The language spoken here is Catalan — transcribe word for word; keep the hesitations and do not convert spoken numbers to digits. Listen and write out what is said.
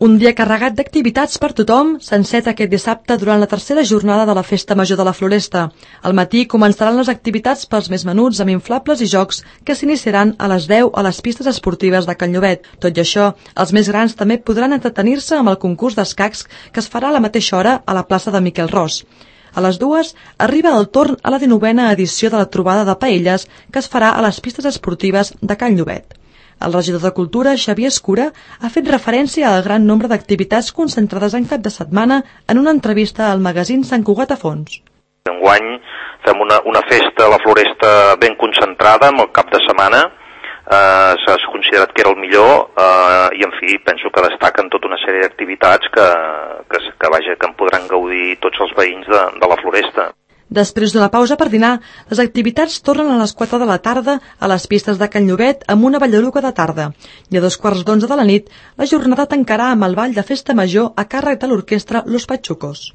Un dia carregat d'activitats per tothom s'enceta aquest dissabte durant la tercera jornada de la Festa Major de la Floresta. Al matí començaran les activitats pels més menuts amb inflables i jocs que s'iniciaran a les deu a les pistes esportives de Can Llobet. Tot i això, els més grans també podran entretenir-se amb el concurs d'escacs que es farà a la mateixa hora a la plaça de Miquel Ros. A les dues arriba el torn a la dinovena edició de la trobada de paelles que es farà a les pistes esportives de Can Llobet. El regidor de Cultura, Xavier Escura, ha fet referència al gran nombre d'activitats concentrades en cap de setmana en una entrevista al magazín Sant Cugat a Fons. Enguany fem una, una festa a la Floresta ben concentrada amb el cap de setmana. Eh, s'ha considerat que era el millor eh, i en fi penso que destaquen tota una sèrie d'activitats que, que, que, vaja, que en podran gaudir tots els veïns de, de la Floresta. Després d'una pausa per dinar, les activitats tornen a les quatre de la tarda a les pistes de Can Llobet amb una ballaruga de tarda. I a dos quarts d'onze de la nit, la jornada tancarà amb el ball de festa major a càrrec de l'orquestra Los Pachucos.